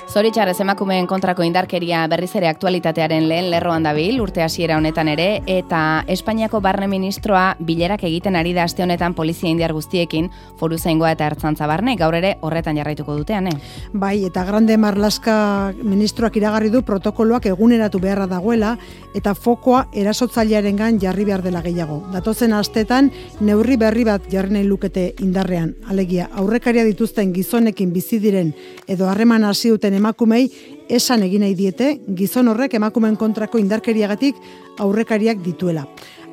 Zoritxarrez emakumeen kontrako indarkeria berriz ere aktualitatearen lehen lerroan dabil, urte hasiera honetan ere, eta Espainiako barne ministroa bilerak egiten ari da aste honetan polizia indiar guztiekin, foruzaingoa eta ertzantza barne, gaur ere horretan jarraituko dutean, Bai, eta Grande Marlaska ministroak iragarri du protokoloak eguneratu beharra dagoela, eta fokoa erasotzailearengan jarri behar dela gehiago. Datozen astetan neurri berri bat jarri nahi lukete indarrean, alegia aurrekaria dituzten gizonekin bizi diren edo harreman hasi duten emakumei esan egin nahi diete gizon horrek emakumeen kontrako indarkeriagatik aurrekariak dituela.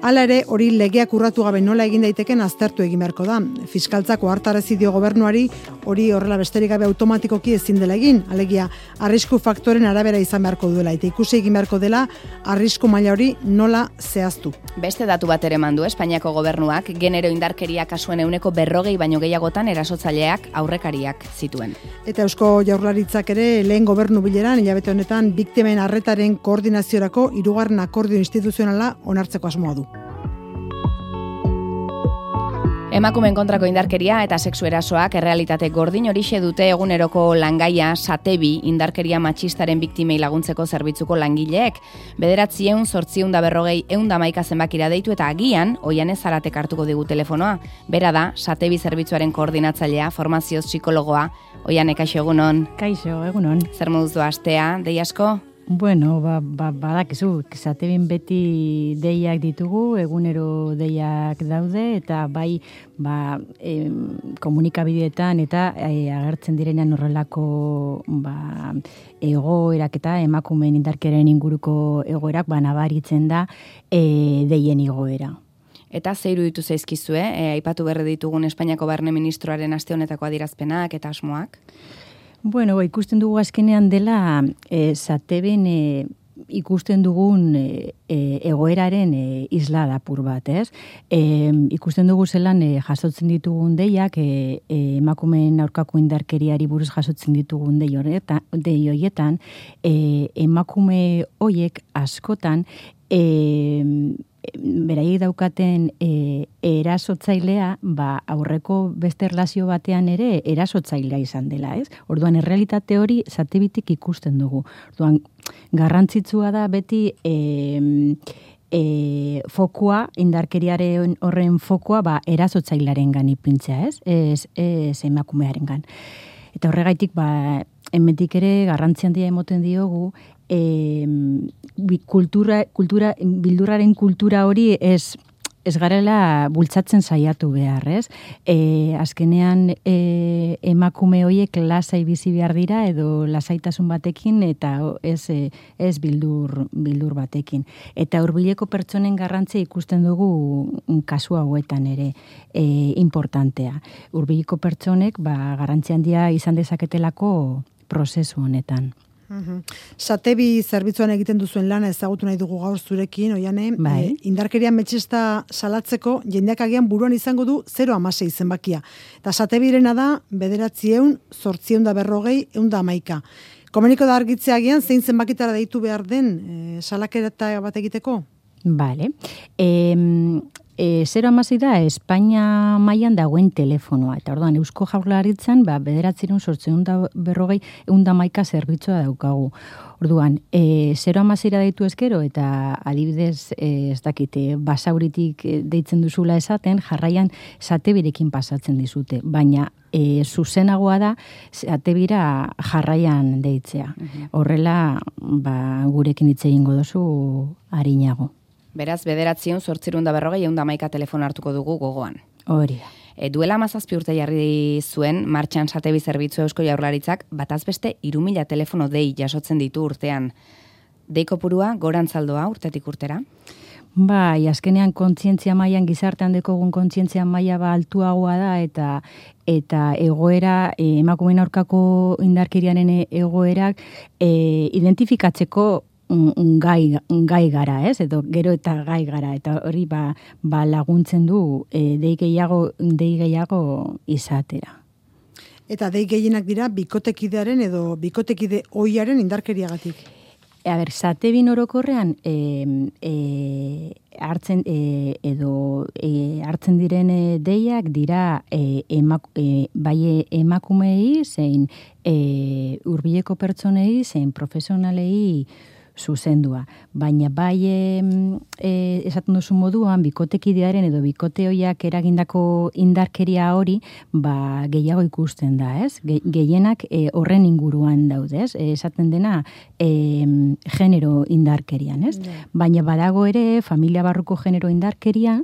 Hala ere, hori legeak urratu gabe nola egin daiteken aztertu egin beharko da. Fiskaltzako hartarazi dio gobernuari hori horrela besterik gabe automatikoki ezin dela egin, alegia arrisku faktoren arabera izan beharko duela eta ikusi egin beharko dela arrisku maila hori nola zehaztu. Beste datu bat ere mandu Espainiako gobernuak genero indarkeria kasuen 40% baino gehiagotan erasotzaileak aurrekariak zituen. Eta Eusko Jaurlaritzak ere lehen gobernu bileran hilabete honetan biktimen arretaren koordinaziorako 3. akordio instituzionala onartzeko asmoa du. Emakumeen kontrako indarkeria eta sexu erasoak errealitate gordin horixe dute eguneroko langaia Satebi indarkeria matxistaren biktimei laguntzeko zerbitzuko langileek. 900-840-111 zenbakira deitu eta agian Oianez Zaratek hartuko digu telefonoa. Bera da Satebi zerbitzuaren koordinatzailea, formazio psikologoa. Oiane, kaixo egunon. Kaixo egunon. Zer moduz doa astea, dei asko? Bueno, badakizu, Satebin beti deiak ditugu, egunero deiak daude, eta bai komunikabideetan eta agertzen direnean horrelako egoerak eta emakumeen indarkeriaren inguruko egoerak nabaritzen da deien igoera. Eta ze iruditu zaizkizue, aipatu berri ditugun Espainiako barne ministroaren aste honetako adierazpenak eta asmoak? Bueno, ikusten dugu azkenean dela Sateben ikusten dugun egoeraren isla apur bat, ez? Ikusten dugu zelan jasotzen ditugun deiak, emakumeen aurkako indarkeriari buruz jasotzen ditugun dei horietan, emakume hoiek askotan beraiek daukaten erasotzailea, aurreko beste erlazio batean ere erasotzailea izan dela, ez? Orduan, errealitate hori Satebitik ikusten dugu. Orduan, garrantzitsua da beti fokua, indarkeriaren horren fokua, erasotzailearengan ipintzea, ez? Ez emakumearengan. Eta horregaitik, hemendik ere garrantzi handia emoten diogu, bildurraren kultura hori ez garela bultzatzen saiatu behar, ez? Azkenean emakume horiek lasai bizi behar dira edo lasaitasun batekin eta ez bildur batekin. Eta hurbileko pertsonen garrantzia ikusten dugu kasu hauetan ere importantea. Hurbileko pertsonek garrantzi handia izan dezaketelako prozesu honetan. Satebi zerbitzuan egiten duzuen lana ezagutu nahi dugu gaur zurekin, Oiane, indarkeria metxista salatzeko jendeak agian buruan izango du 0,6 zenbakia. Eta Satebirena da 900-840-111. Komuniko da argitzea agian zein zenbakitara deitu behar den salaketa bat egiteko? Bale. 0,6 da Espainia mailan dagoen telefonoa. Eta orduan, Eusko Jaurlaritzan 900-840-111 zerbitzua daukagu. Orduan, 0,6 deitu ezkero eta adibidez, ez dakite, basauritik deitzen duzula esaten, jarraian Satebirekin pasatzen dizute. Baina, zuzenagoa da Satebira jarraian deitzea. Horrela, gurekin hitz egingo dozu arinago. Beraz, 900-840-111 telefono hartuko dugu gogoan. Hori da. Duela 17 urte jarri zuen martxan Satebi zerbitzu Eusko Jaurlaritzak bataz beste 3.000 telefono dei jasotzen ditu urtean. Dei kopurua gorantzaldoa urtetik urtera? Bai, azkenean kontzientzia mailan gizartean dekogun kontzientzia maila altuagoa da eta egoera emakumeen aurkako indarkeriaren egoerak identifikatzeko gai gara, ez? Edo gero eta gai gara, eta hori laguntzen du dei gehiago izatera. Eta dei gehienak dira bikotekidearen edo bikotekide ohiaren indarkeriagatik. Zatebin orokorrean hartzen hartzen diren deiak dira bai emakumei zein hurbileko pertsonei zein profesionalei zuzendua. Baina bai esaten duzu moduan, bikotekidearen edo bikoteoiak eragindako indarkeria hori, gehiago ikusten da, ez? Gehienak horren inguruan daude, ez? Esaten dena genero indarkerian, ez? Baina badago ere familia barruko genero indarkeria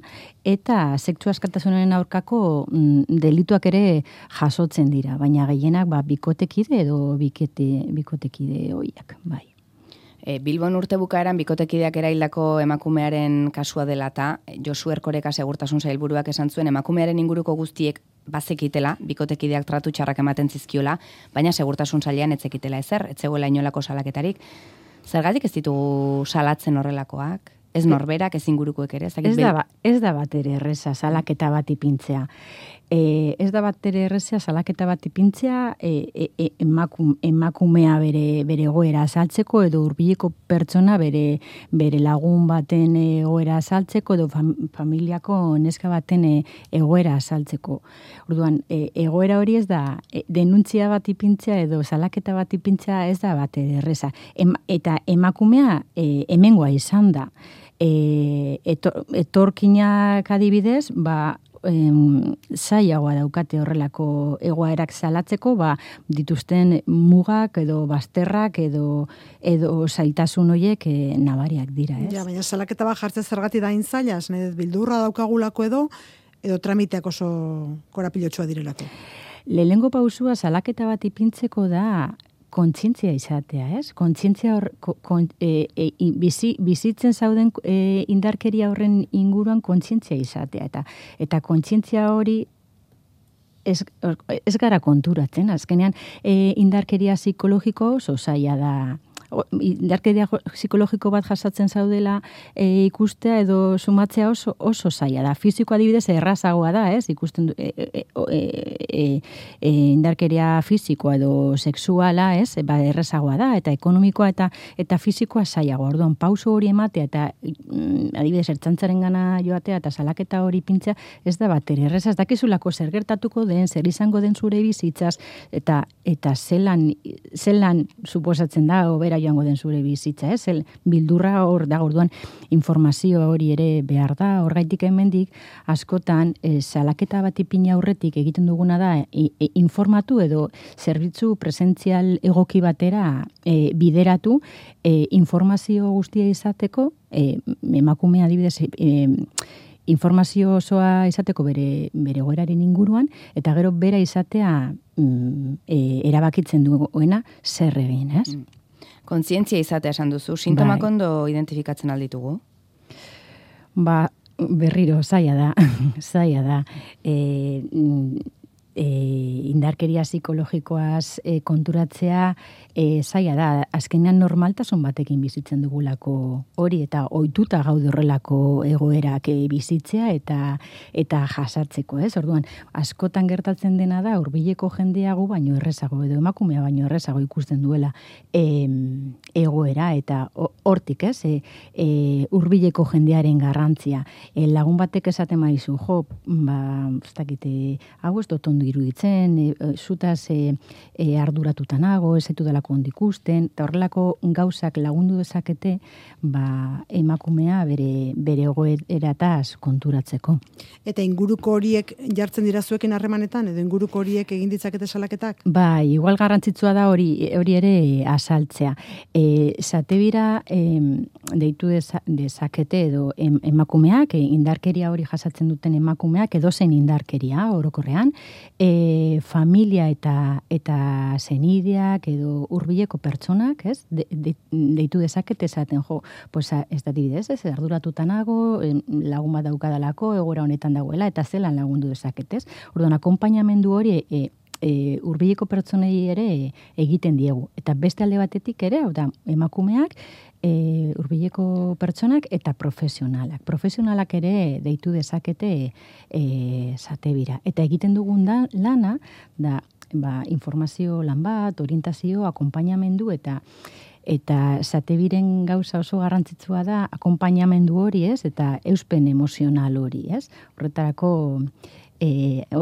eta sexu askatasunaren aurkako delituak ere jasotzen dira, baina gehienak bikotekide edo bikotekide hoiak, bai. Bilbon urte bukaeran bikotekideak eraildako emakumearen kasua dela eta Josu Erkoreka segurtasun sailburuak esan zuen emakumearen inguruko guztiek bazekitela, bikotekideak tratu txarrak ematen zizkiola, baina segurtasun sailean ez zekitela ezer, ez zegoela inolako salaketarik. Zergatik ez ditugu salatzen horrelakoak? Ez norberak, ez ingurukoek ere? Ez da bat ere erreza salaketa bat ipintzea. Ez da bat ere erreza salaketa bat ipintzea emakumea bere egoera azaltzeko edo hurbileko pertsona bere lagun baten egoera azaltzeko edo familiako neska baten egoera azaltzeko. Orduan, egoera hori ez da denuntzia bat ipintzea edo salaketa bat ipintzea ez da bat ere erreza. Eta emakumea hemengoa izan da. Etorkinak adibidez, zailagoa daukate horrelako egoerak salatzeko, dituzten mugak edo bazterrak edo zailtasun horiek nabariak dira, ez? Ja, baina salaketa bat jartzen zergatik da zaila, bildurra daukagulako edo tramiteak oso korapilotxoa direlako. Lehengo pausua salaketa bat ipintzeko da kontzientzia izatea, ez? Kontzientzia bizitzen zauden indarkeria horren inguruan kontzientzia izatea. Eta kontzientzia hori ez gara konturatzen. Azkenean, indarkeria psikologiko oso zaila da. Indarkeria psikologiko bat jasatzen zaudela ikustea edo sumatzea oso zaila da. Fisiko adibidez errazagoa da, ez? Ikusten indarkeria fisikoa edo sexuala, ez? Errazagoa da eta ekonomikoa eta fisikoa zailagoa. Orduan pauso hori ematea eta adibidez ertzaintzarengana joatea eta salaketa hori pintzea ez da batere erreza. Ez dakizulako zer gertatuko den, zer izango den zure bizitzaz eta zelan suposatzen da obera joango den zure bizitza, ez? Bildurra hor da, orduan informazio hori ere behar da, horgaitik hemendik askotan salaketa bat ipina aurretik egiten duguna da informatu edo zerbitzu presentzial egoki batera bideratu informazio guztia izateko, emakumea adibidez informazio osoa izateko bere egoeraren inguruan, eta gero bera izatea erabakitzen duena zer egin, ez? Kontzientzia izatea esan duzu, sintomak ondo identifikatzen alditugu? Berriro, zaila da. Indarkeria psikologikoaz konturatzea zaila da. Azkenean normaltasun batekin bizitzen dugulako hori eta ohituta gaude horrelako egoerak bizitzea eta jasatzeko, ez? Orduan, askotan gertatzen dena da hurbileko jendeago baino errezago edo emakumea baino errezago ikusten duela egoera eta hortik, ez? Hurbileko jendearen garrantzia. Lagun batek esaten maizu, ez dakite, hau ez dut ondo iruditzen, zutaz arduratuta nago, ez zaitu delako ondo ikusten, eta horrelako gauzak lagundu dezakete, emakumea bere egoerataz konturatzeko. Eta inguruko horiek jartzen dira zuekin harremanetan, edo inguruko horiek egin ditzakete salaketak? Igual garrantzitsua da hori ere azaltzea. Zatebira deitu dezakete edo emakumeak, indarkeria hori jasatzen duten emakumeak, edozein indarkeria orokorrean, familia eta zenideak edo hurbileko pertsonak, ez? Deitu dezakete esaten, ez da dibidez, ez? Arduratuta nago, lagun bat daukadalako, egoera honetan dagoela, eta zelan lagundu dezaketez. Orduan, akonpainamendu hori hurbileko pertsonei ere egiten diegu. Eta beste alde batetik ere, emakumeak, hurbileko pertsonak eta profesionalak. Profesionalak ere deitu dezakete zatebira. Eta egiten dugun lana da informazio lan bat, orientazio, akonpainamendu eta Eta Satebiren gauza oso garrantzitsua da akonpainamendu hori, ez? Eta euspen emozional hori, ez? Horretarako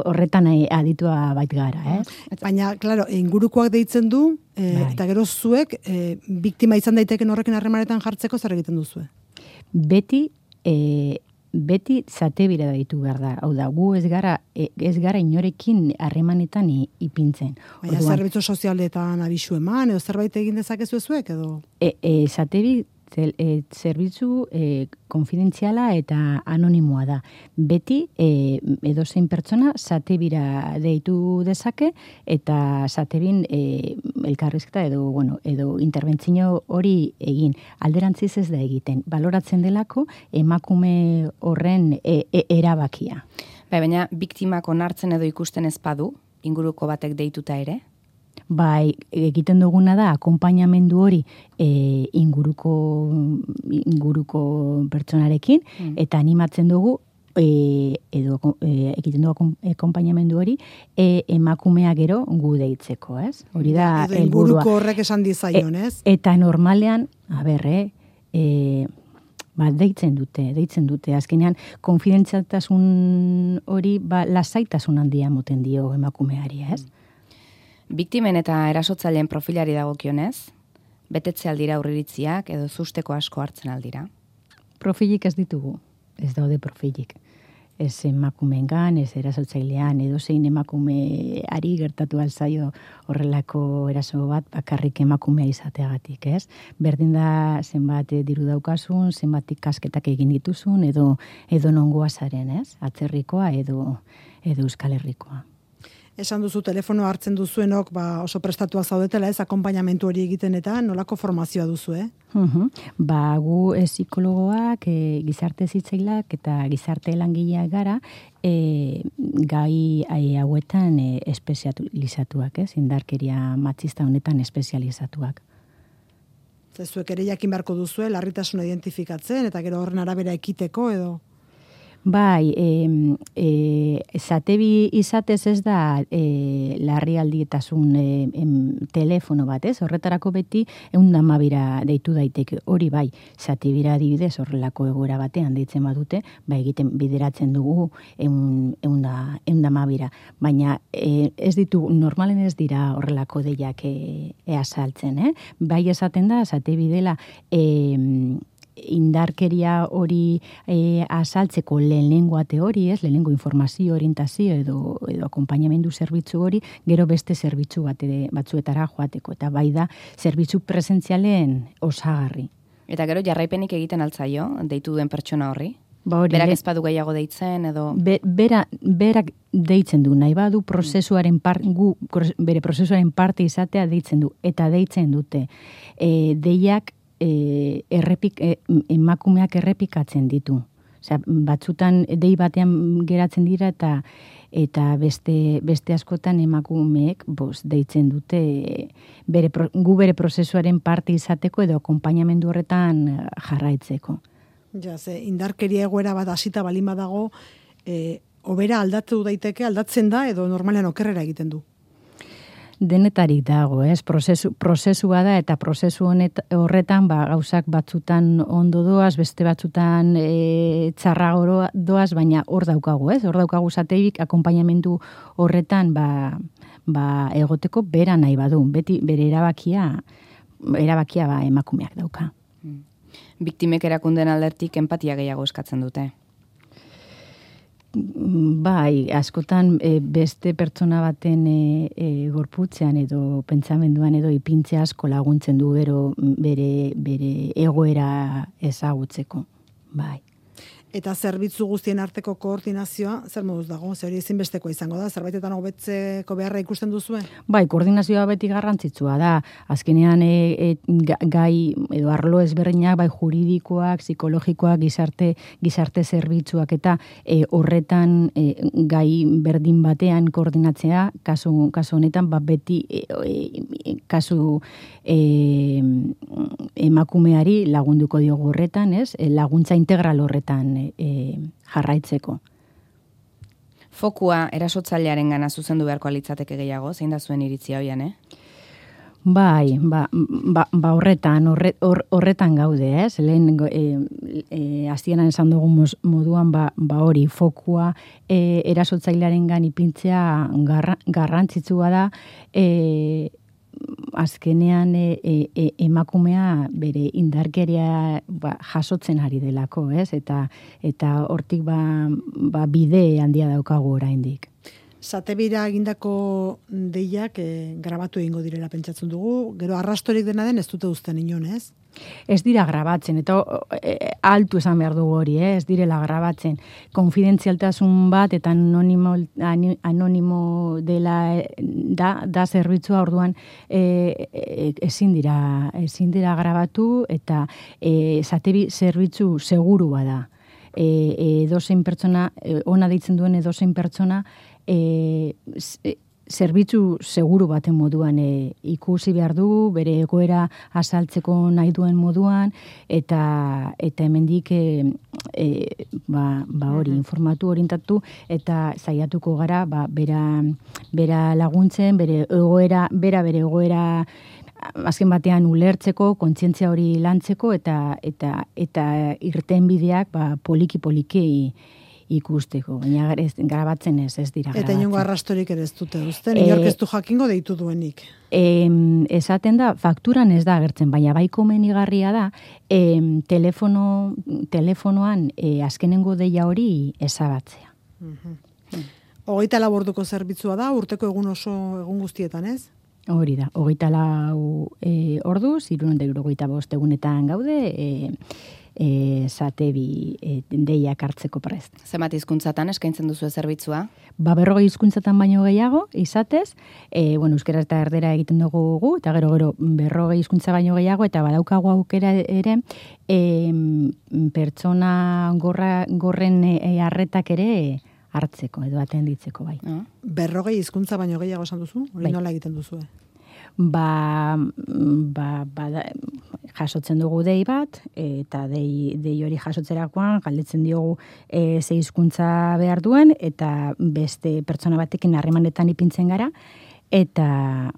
horretan aditua bait gara, ez? Baina, claro, ingurukoak deitzen du, eta gero zuek, biktima izan daiteken horrekin harremanetan jartzeko zer egiten duzue? Beti Satebira deitu behar da. Hau da, gu ez gara inorekin harremanetan ipintzen. Baina zerbitzu sozialetan abisu eman, edo zerbait egin dezakezu zuek, edo? Satebi zerbitzu konfidentziala eta anonimoa da. Beti edozein pertsona Satebira deitu dezake eta Satebin elkarrizketa edo interbentzio hori egin. Alderantziz ez da egiten. Baloratzen delako emakume horren erabakia. Baina biktimak onartzen edo ikusten ez badu, inguruko batek deituta ere? Bai, egiten duguna da akonpainamendu hori inguruko pertsonarekin eta animatzen dugu egiten dugu akonpainamendu hori emakumea gero gu deitzeko, ez? Hori da helburua. Inguruko horrek esan dizaion, ez? Eta normalean, deitzen dute. Azkenean, konfidentzialtasun hori lasaitasun handia moten dio emakumeari, ez? Biktimen eta erasotzaileen profilari dagokionez, betetze aldira aurriritziak edo zusteko asko hartzen aldira? Profilik ez ditugu, ez daude profilik. Ez emakumeengan, ez erasotzailean, edo zein emakumeari gertatu alzaio horrelako eraso bat bakarrik emakumea izateagatik, ez? Berdin da zenbat diru daukasun, zenbat ikasketak egin dituzun, edo nongoa zaren, ez? Atzerrikoa edo Euskal Herrikoa. Esan duzu telefono hartzen duzuenok oso prestatuak zaudetela, ez akonpainamentu hori egiten eta nolako formazioa duzu, Gu psikologoak, gizarte zitzailak eta gizarte langileak gara, gai hauetan espezializatuak, ez? Indarkeria matxista honetan espezializatuak. Zuek ere jakin beharko duzue, larritasuna identifikatzen eta gero horren arabera ekiteko edo? Bai, Satebi izatez ez da larrialdietasun telefono bat, ez? Horretarako beti 112 deitu daiteke. Hori bai, Satebira adibidez horrelako egoera batean deitzen badute, egiten bideratzen dugu 112. Baina ez ditu, normalen ez dira horrelako deiak azaltzen, Bai esaten da, Satebi dela indarkeria hori azaltzeko lehenengoa teori, lehenengo informazio, orientazio edo akonpainamendu zerbitzu hori, gero beste zerbitzu batzuetara joateko. Eta bai da, zerbitzu presentzialen osagarri. Eta gero jarraipenik egiten altzaio, deitu duen pertsona horri? Berak ez badu gehiago deitzen edo? Berak deitzen du, nahi badu bere prozesuaren parte izatea deitzen du, eta deitzen dute. Deiak emakumeak errepikatzen ditu. Osea, batzutan dei batean geratzen dira eta beste askotan emakumeek deitzen dute gu bere prozesuaren parte izateko edo akonpainamendu horretan jarraitzeko. Ja, indarkeria egoera bat hasita balin badago, hobera aldatzen da edo normalean okerrera egiten du. Denetarik dago, prozesua da eta prozesu horretan gauzak batzutan ondo doaz, beste batzutan txarrago doaz, baina hor daukagu, Hor daukagu Satebik akonpainamendu horretan egoteko bera nahi badu, beti bere erabakia emakumeak dauka. Biktimek erakunden aldertik enpatia gehiago eskatzen dute. Bai, askotan beste pertsona baten gorputzean edo pentsamenduan edo ipintze asko laguntzen du gero bere egoera ezagutzeko. Bai. Eta zerbitzu guztien arteko koordinazioa, zer moduz dago? Hori ezinbestekoa izango da? Zerbaitetan hobetzeko beharra ikusten duzue? Bai, koordinazioa beti garrantzitsua da. Azkenean gai edo arlo ezberdinak, juridikoak, psikologikoak, gizarte zerbitzuak eta horretan gai berdin batean koordinatzea, kasu honetan beti kasu emakumeari lagunduko diogu horretan, laguntza integral horretan jarraitzeko. Fokua erasotzailearen gana zuzendu beharko litzateke gehiago, zein da zuen iritzia hoian, Bai, horretan gaude, ez? Lehen hasieran esan dugu moduan hori fokua erasotzailearengan ipintzea garrantzitsua da, azkenean emakumea bere indarkeria jasotzen ari delako, ez? Eta hortik bide handia daukagu oraindik. Satebira egindako deiak grabatu egingo direla pentsatzen dugu, gero arrastorik dena den ez dute uzten inon, ez? Ez dira grabatzen, eta altu esan behar dugu hori, ez direla grabatzen. Konfidentzialtasun bat eta anonimo dela da zerbitzua, orduan ezin dira grabatu, eta Satebi zerbitzu segurua da. Edozein pertsona, ona deitzen duen edozein pertsona, zerbitzu seguru baten moduan ikusi behar du, bere egoera azaltzeko nahi duen moduan, eta hemendik hori informatu, orientatu, eta saiatuko gara bera laguntzen, bere egoera azken batean ulertzeko, kontzientzia hori lantzeko, eta irtenbideak poliki-poliki ikusteko, baina grabatzen ez dira grabatzen. Eta inongo arrastorik ere ez dute uzten, inork ez du jakingo deitu duenik. Esaten da, fakturan ez da agertzen, baina bai komenigarria da, telefonoan azkenengo deia hori ezabatzea. 24 orduko zerbitzua da, urteko egun guztietan, ez? Hori da, 24 orduz, 365 egunetan gaude, Satebi deiak hartzeko prest. Zenbat hizkuntzatan eskaintzen duzu zerbitzua? 40 hizkuntzatan baino gehiago, izatez, euskera eta erdera egiten dugu, eta gero 40 hizkuntza baino gehiago, eta badaukagu aukera ere, pertsona gorren arretak ere hartzeko, edo atenditzeko bai. 40 hizkuntza baino gehiago esan duzu? Hori nola egiten duzu? Jasotzen dugu dei bat, eta dei hori jasotzerakoan galdetzen diogu ze hizkuntza behar duen, eta beste pertsona batekin harremanetan ipintzen gara, eta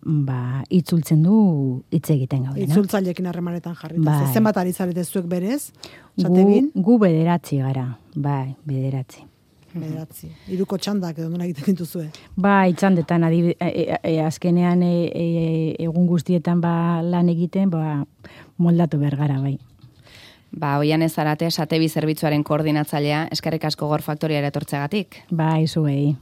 itzultzen du hitz egiten gaude. Itzultzaileekin harremanetan jarrita. Zenbat ari zarete zuek berez? Gu 9 gara, bai, 9. 3 txandak edo nuna egiten dituzue. Txandetan, azkenean egun guztietan lan egiten, moldatu behar gara, bai. Oian ez Zarate, Satebi zerbitzuaren koordinatzailea, eskerrik asko Gaur Faktoriara etortzeagatik. Zuei.